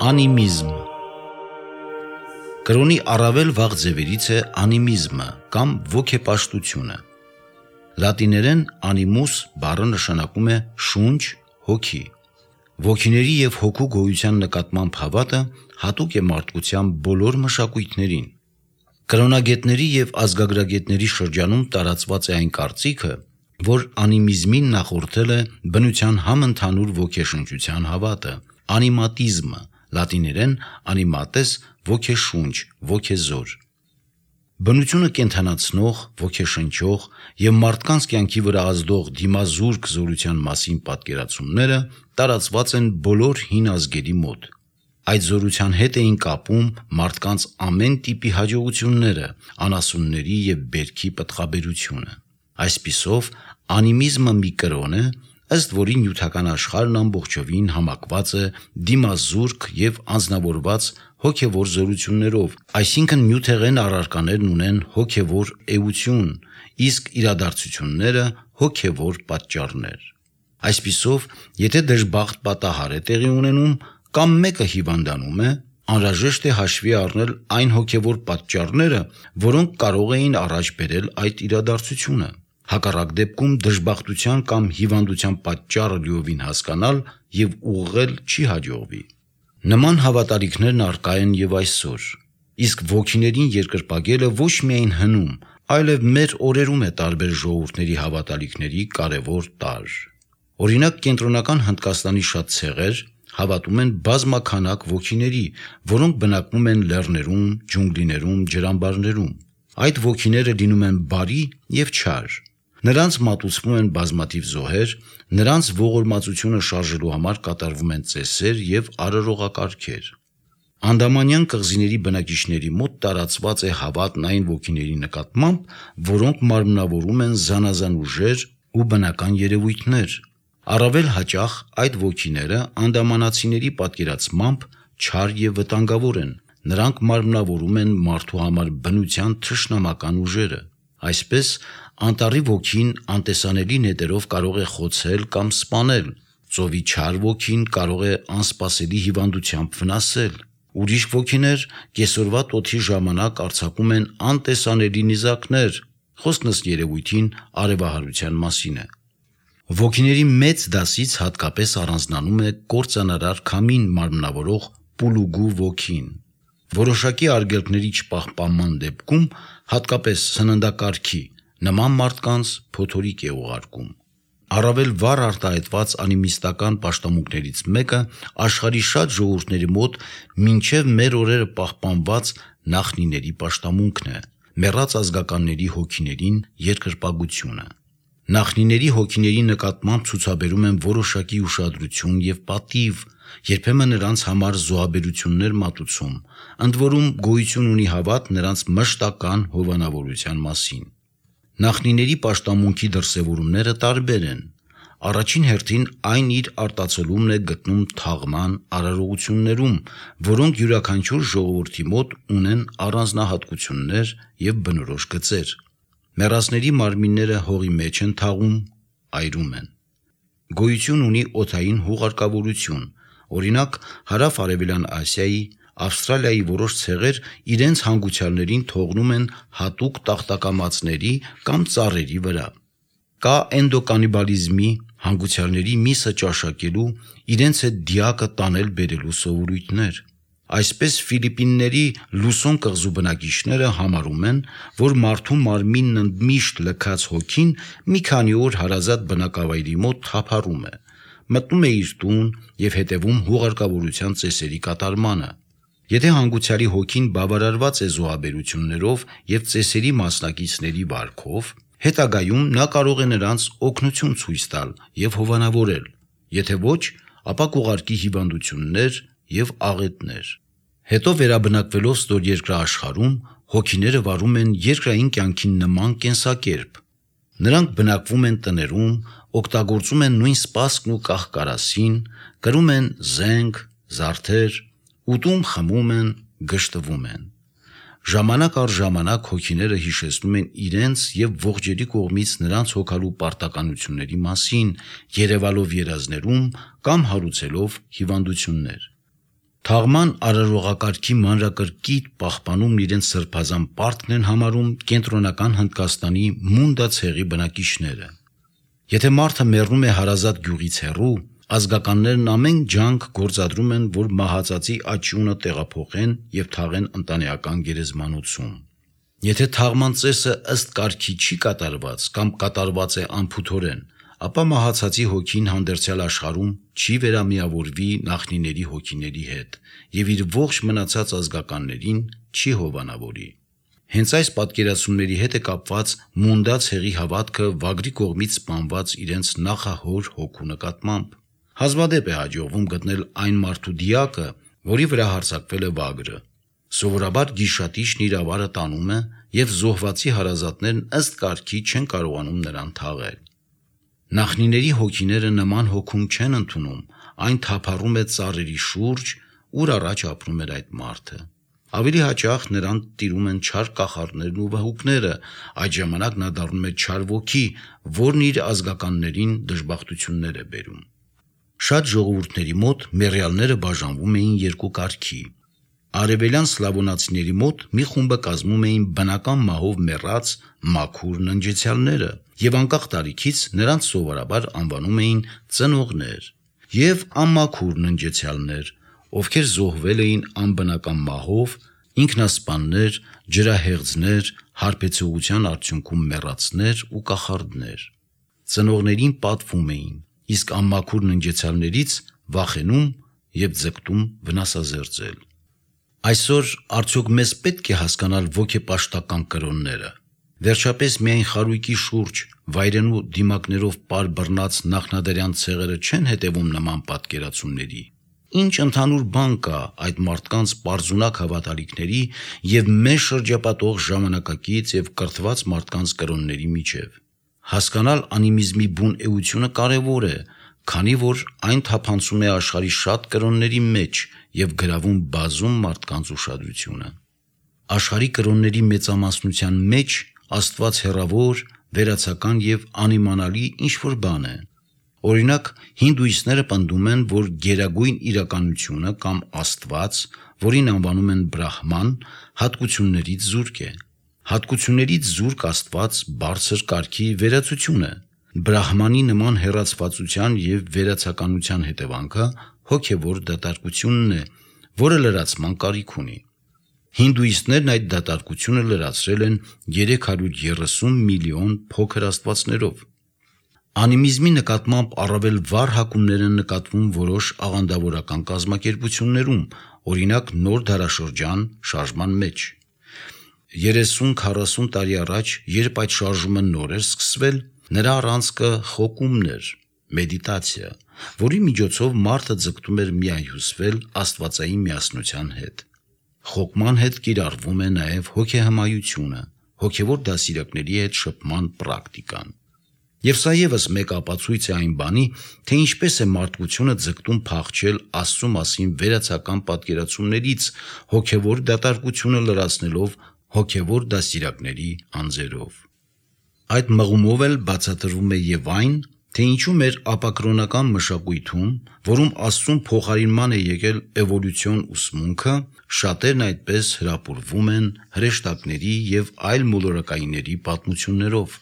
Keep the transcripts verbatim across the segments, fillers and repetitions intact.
Անիմիզմ Կրոնի առավել վաղ ձևերից է անիմիզմը կամ ոգեպաշտությունը։ Լատիներեն animus բառը նշանակում է շունչ, հոգի։ Ոգիների և հոգու գոյության նկատմամբ հավատը հատուկ է մարդկության բոլոր մշակույթներին։ Կրոնագետների և ազգագրագետների շրջանում տարածված է այն կարծիքը, որ անիմիզմին նախորդել է բնության համընդհանուր ոգեշնչության հավատը, անիմատիզմը, լատիներեն animates ոգեշունչ, ոգեզոր։ Բնությունը կենդանացնող, ոգեշնչող և մարդկանց կյանքի վրա ազդող դիմազուրկ զորության մասին պատկերացումները տարածված են բոլոր հին ազգերի մոտ։ Այդ զորության հետ էին կապում մարդկանց ամեն տիպի հաջողությունները, անասունների և բերքի պտղաբերությունը։ Այսպիսով, անիմիզմը մի կրոն է, ըստ որի նյութական աշխարհն ամբողջովին համակված է դիմազուրկ և անձնավորված հոգևոր զորություններով, այսինքն նյութեղեն առարկաներն ունեն հոգևոր էություն, իսկ իրադարձությունները հոգևոր պատճառներ։ Այսպիսով, եթե դժբախտ պատահար է տեղի ունենում կամ մեկը հիվանդանում է, անհրաժեշտ է հաշվի առնել այն հոգևոր պատճառները, որոնք կարող էին առաջ բերել այդ իրադարձությունը։ Հակառակ դեպքում դժբախտության կամ հիվանդության պատճառը լիովին հասկանալ և ուղղել չի հաջողվի։ Նման հավատալիքներն առկա են և այսօր, իսկ ոգիներին երկրպագելը ոչ միայն հնում, այլև մեր օրերում է տարբեր ժողովուրդների հավատալիքների կարևոր տարր։ Օրինակ, Կենտրոնական Հնդկաստանի շատ ցեղեր հավատում են բազմաքանակ ոգիների, որոնք բնակվում են լեռներում, ջունգլիներում, ջրամբարներում։ Այդ ոգիները լինում են բարի և չար։ Նրանց մատուցվում են բազմաթիվ զոհեր, նրանց ողորմածությունը շարժելու համար կատարվում են ծեսեր և արարողակարգեր։ Անդամանյան կղզիների բնակիչների մոտ տարածված է հավատն այն ոգիների նկատմամբ, որոնք մարմնավորում են զանազան ուժեր ու բնական երևույթներ։ Առավել հաճախ այդ ոգիները անդամանացիների պատկերացմամբ չար և վտանգավոր են, նրանք մարմնավորում են մարդու համար բնության թշնամական ուժերը։ Այսպես, անտառի ոգին անտեսանելի նետերով կարող է խոցել կամ սպանել, ծովի չար ոգին կարող է անսպասելի հիվանդությամբ վնասել։ Ուրիշ ոգիներ կեսօրվա տոթի ժամանակ արձակում են անտեսանելի նիզակներ, խոսքն ըստ երևույթին արևահարության մասին է։ Ոգիների մեծ դասից հատկապես առանձնանում է կործանարար քամին մարմնավորող պուլուգու ոգին։ Որոշակի արգելքների չպահպանման դեպքում, հատկապես սննդակարգի, նման մարդկանց փոթորիկ է ուղարկում։ Առավել վառ արտահայտված անիմիստական պաշտամունքներից մեկը աշխարհի շատ ժողովուրդների մոտ մինչև մեր օրերը պահպանված նախնիների պաշտամունքն է՝ մեռած ազգականների հոգիներին երկրպագությունը։ Նախնիների հոգիների նկատմամբ ցուցաբերում են որոշակի ուշադրություն և պատիվ, երբեմն նրանց համար զոհաբերություններ մատուցում, ընդ որում գոյություն ունի հավատ նրանց մշտական հովանավորության մասին։ Նախնիների պաշտամունքի դրսևորումները տարբեր են։ Առաջին հերթին այն իր արտացոլումն է գտնում թաղման արարողություններում, որոնք յուրաքանչյուր ժողովրդի մոտ ունեն առանձնահատկություններ և բնորոշ գծեր։ Մեռածների մարմինները հողի մեջ են թաղում, այրում են։ Գոյություն ունի օդային հուղարկավորություն, օրինակ Հարավ-Արևելյան Ասիայի, Ավստրալիայի որոշ ցեղեր իրենց հանգուցյալներին թողնում են հատուկ տախտակամածների կամ ծառերի վրա։ Կա էնդոկանիբալիզմի, հանգուցյալների միսը ճաշակելու, իրենց հետ դիակը տանել-բերելու սովորույթներ։ Այսպես Ֆիլիպինների Լուսոն կղզու բնակիչները համարում են, որ մարդու մարմինն ընդմիշտ լքած հոգին մի քանի օր հարազատ բնակավայրի մոտ թափառում է, մտնում է իր տուն և հետևում հուղարկավորության ծեսերի կատարմանը։ Եթե հանգուցյալի հոգին բավարարված է զոհաբերություններով և ծեսերի մասնակիցների վարքով, հետագայում նա կարող է նրանց օգնություն ցույց տալ և հովանավորել, եթե ոչ, ապա կուղարկի հիվանդություններ և աղետներ։ Հետո վերաբնակվելով ստորերկրա աշխարհում, հոգիները վարում են երկրային կյանքին նման կենսակերպ։ Նրանք բնակվում են տներում, օգտագործում են նույն սպասքն ու կահ-կարասին, կրում են զենք, զարդեր, ուտում, խմում են, գժտվում են։ Ժամանակ առ ժամանակ հոգիները հիշեցնում են իրենց և ողջերի կողմից նրանց հոգալու պարտականությունների մասին, երևալով երազներում կամ հարուցելով հիվանդություններ։ Թաղման արարողակարգի մանրակրկիտ պահպանումն իրենց սրբազան պարտքն են համարում կենտրոնական Հնդկաստանի Մունդա ցեղի բնակիչները։ Եթե մարդը մեռնում է հարազատ գյուղից հեռու, ազգականներն ամեն ջանք գործադրում են, որ մահացածի աճյունը տեղափոխեն եւ թաղեն ընտանեկան գերեզմանոցում։ Եթե թաղման ծեսը ըստ կարգի չի կատարված կամ կատարված է անփութորեն, ապա մահացածի հոգին հանդերձյալ աշխարհում չի վերամիավորվի նախնիների հոգիների հետ եւ իր ողջ մնացած ազգականներին չի հովանավորի։ Հենց այս պատկերացումների հետ է կապված Մունդա ցեղի հավատքը վագրի կողմից սպանված իրենց նախահոր հոգու նկատմամբ։ Հազվադեպ է հաջողվում գտնել այն մարդու դիակը, որի վրա հարձակվել է վագրը։ Սովորաբար գիշատիչն իր ավարը տանում է եւ զոհվածի հարազատներն ըստ կարգի չեն կարողանում նրան թաղել։ Նախնիների հոգիները նման հոգում չեն ընդունում, այն թափառում է ծառերի շուրջ, ուր առաջ ապրում էր այդ մարդը։ Ավելի հաճախ նրան տիրում են չար կախարդներն ու վհուկները, այդ ժամանակ նա դառնում է չար ոգի, որն իր ազգականներին դժբախտություններ է բերում։ Շատ ժողովուրդների մոտ մեռյալները բաժանվում էին երկու կարգի։ Արևելյան սլավոնացիների մոտ մի խումբը կազմում էին բնական մահով մեռած մաքուր ննջեցյալները եւ անկախ տարիքից նրանց սովորաբար անվանում էին ծնողներ, եւ անմաքուր ննջեցյալներ, ովքեր զոհվել էին անբնական մահով, ինքնասպաններ, ջրահեղձներ, հարբեցողության արդյունքում մեռածներ ու կախարդներ։ Ծնողներին պատվում էին, իսկ անմաքուր ննջեցյալներից վախենում եւ ձգտում վնասազերծել։ Այսօր արդյոք մեզ պետք է հասկանալ ոգեպաշտական կրոնները։ Վերջապես միայն խարույկի շուրջ վայրենու դիմակներով պար բռնած նախնադարյան ցեղերը չեն հետևում նման պատկերացումների։ Ինչ ընդհանուր բան կա այդ մարդկանց պարզունակ հավատալիքների եւ մեզ շրջապատող ժամանակակից եւ կրթված մարդկանց կրոնների միջև։ Հասկանալ անիմիզմի բուն էությունը կարևոր է, քանի որ այն թափանցում է աշխարհի շատ կրոնների մեջ եւ գրավում բազում մարդկանց ուշադրությունը։ Աշխարհի կրոնների մեծամասնության մեջ Աստված հեռավոր, վերացական եւ անիմանալի ինչ-որ բան է։ Օրինակ, հինդուիստները պնդում են, որ գերագույն իրականությունը կամ Աստված, որին անվանում են Բրահման, հատկություններից զուրկ է։ Հատկություններից զուրկ Աստված բարձր կարգի վերացություն է։ Բրահմանի նման հեռացվածության եւ վերացականության հետևանքը հոգեվոր դատարկությունն է, որը լրացման կարիք ունի։ Հինդուիստներն այդ դատարկությունը լրացրել են երեք հարյուր երեսուն միլիոն փոքր աստվածներով։ Անիմիզմի նկատմամբ առավել վառ հակումներ են նկատվում որոշ աղանդավորական կազմակերպություններում, օրինակ նոր դարաշրջան շարժման մեջ։ երեսուն քառասուն տարի առաջ, երբ այդ շարժումը նոր էր սկսվել, նրա առանցքը խոկումն էր, մեդիտացիա, որի միջոցով մարդը ձգտում էր միահյուսվել աստվածային միասնության հետ։ Խոկման հետ կիրառվում է նաև հոգեհմայությունը, հոգևոր դասիրակների հետ շփման պրակտիկան։ Եվ սա ևս մեկ ապացույց է այն բանի, թե ինչպես է մարդկությունը ձգտում փախչել Աստծո մասին վերացական պատկերացումներից, հոգևոր դատարկությունը լրացնելով հոգևոր դասիրակների անձերով։ Այդ մղումով էլ բացատրվում է եւ այն, թե ինչու մեր ապակրոնական մշակույթում, որում Աստծուն փոխարինման է եկել էվոլյուցիոն ուսմունքը, շատերն այդպես հրապուրվում են հրեշտակների եւ այլ մոլորակայինների պատմություններով։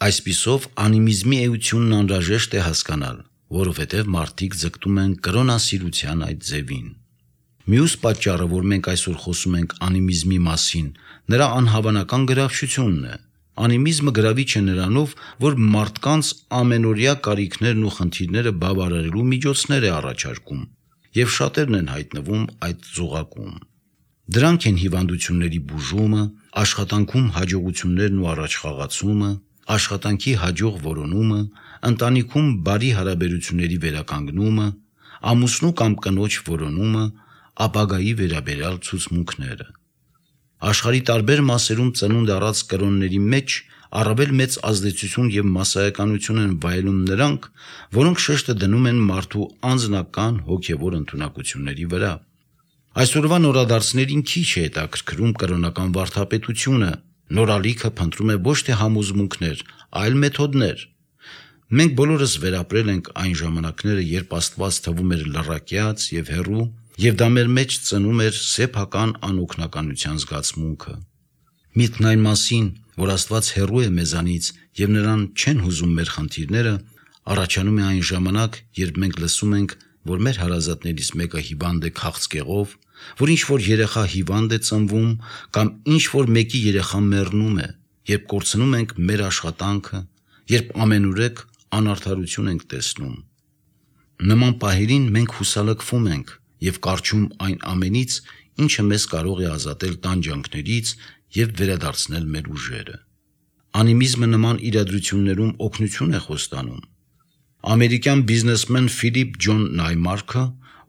Այսպիսով անիմիզմի էությունն անհրաժեշտ է հասկանալ, որովհետև մարդիկ ձգտում են կրոնասիրության այդ ձևին։ Մյուս պատճառը, որ մենք այսօր խոսում ենք անիմիզմի մասին, նրա անհավանական գրավչությունն է։ Անիմիզմը գրավիչ է նրանով, որ մարդկանց ամենօրյա կարիքներն ու խնդիրները բավարարելու միջոցներ է առաջարկում, եւ շատերն են հայտնվում այդ ծուղակում։ Դրանք են հիվանդությունների բուժումը, աշխատանքում հաջողություններն ու առաջխաղացումը, աշխատանքի հաջող որոնումը, ընտանիքում բարի հարաբերությունների վերականգնումը, ամուսնու կամ կնոջ որոնումը, ապագայի վերաբերյալ ցուցմունքները։ Աշխարհի տարբեր մասերում ծնունդ առած կրոնների մեջ առավել մեծ ազդեցություն եւ մասսայականություն են վայելում նրանք, որոնք շեշտը դնում են մարդու անձնական հոգեվոր ընդունակությունների վրա։ Այսօրվա նորադարձներին քիչ է հետաքրքրում կրոնական վարդապետությունը, նորալիքը փնտրում է ոչ թե համոզմունքներ, այլ մեթոդներ։ Մենք բոլորս վերապրել ենք այն ժամանակները, երբ Աստված թվում էր լռակյաց եւ հեռու, եւ դա մեր մեջ ծնում էր սեփական անօգնականության զգացմունքը։ Միտքն այն մասին, որ Աստված հեռու է մեզանից եւ նրան չեն հուզում մեր խնդիրները, առաջանում է այն ժամանակ, երբ մենք լսում ենք, որ մեր հարազատներից մեկը հիվանդ է քաղցկեղով, որ ինչ-որ երեխա հիվանդ է ծնվում կամ ինչ-որ մեկի երեխան մեռնում է, երբ կորցնում ենք մեր աշխատանքը, երբ ամենուրեք անարդարություն ենք տեսնում։ Նման պահերին մենք հուսալքվում ենք եւ կարճում այն ամենից, ինչը մեզ կարող է ազատել տանջանքներից եւ վերադարձնել մեր ուժերը։ Անիմիզմը նման իրադրություններում օգնություն է խոստանում։ Ամերիկյան բիզնեսմեն Ֆիլիպ Ջոն Նայմարքը,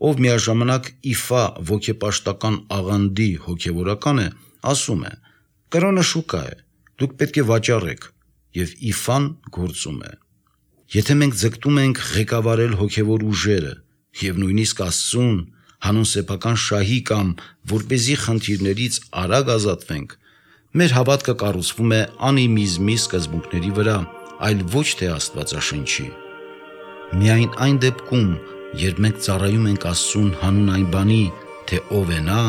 ով միաժամանակ ԻՖԱ ոգեպաշտական աղանդի հոգևորական է, ասում է. «Կրոնը շուկա է, դուք պետք է վաճառեք, եւ ԻՖԱ-ն գործում է»։ Եթե մենք ձգտում ենք ղեկավարել հոգևոր ուժերը եւ նույնիսկ Աստծուն, հանուն սեփական շահի կամ որպեսզի խնդիրներից արագ ազատվենք, մեր հավատքը կառուցվում է անիմիզմի սկզբունքների վրա, այլ ոչ թե Աստվածաշնչի։ Միայն այն դեպքում, երբ մենք ծառայում ենք Աստծուն հանուն այն բանի, թե ով է նա,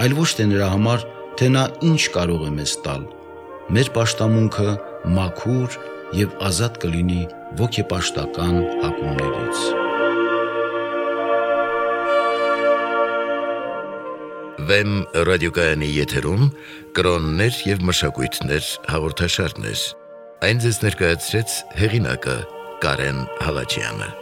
այլ ոչ թե նրա համար, թե նա ինչ կարող է մեզ տալ, մեր պաշտամունքը մաքուր եւ ազատ կլինի ոգեպաշտական հակումներից։ Վեմ ռադիոկայանի եթերում կրոններ եւ մշակույթներ հաղորդաշարներ։ Այն ձեզ ներկայացրեց հեղինակը Կարեն Հալաջյանը։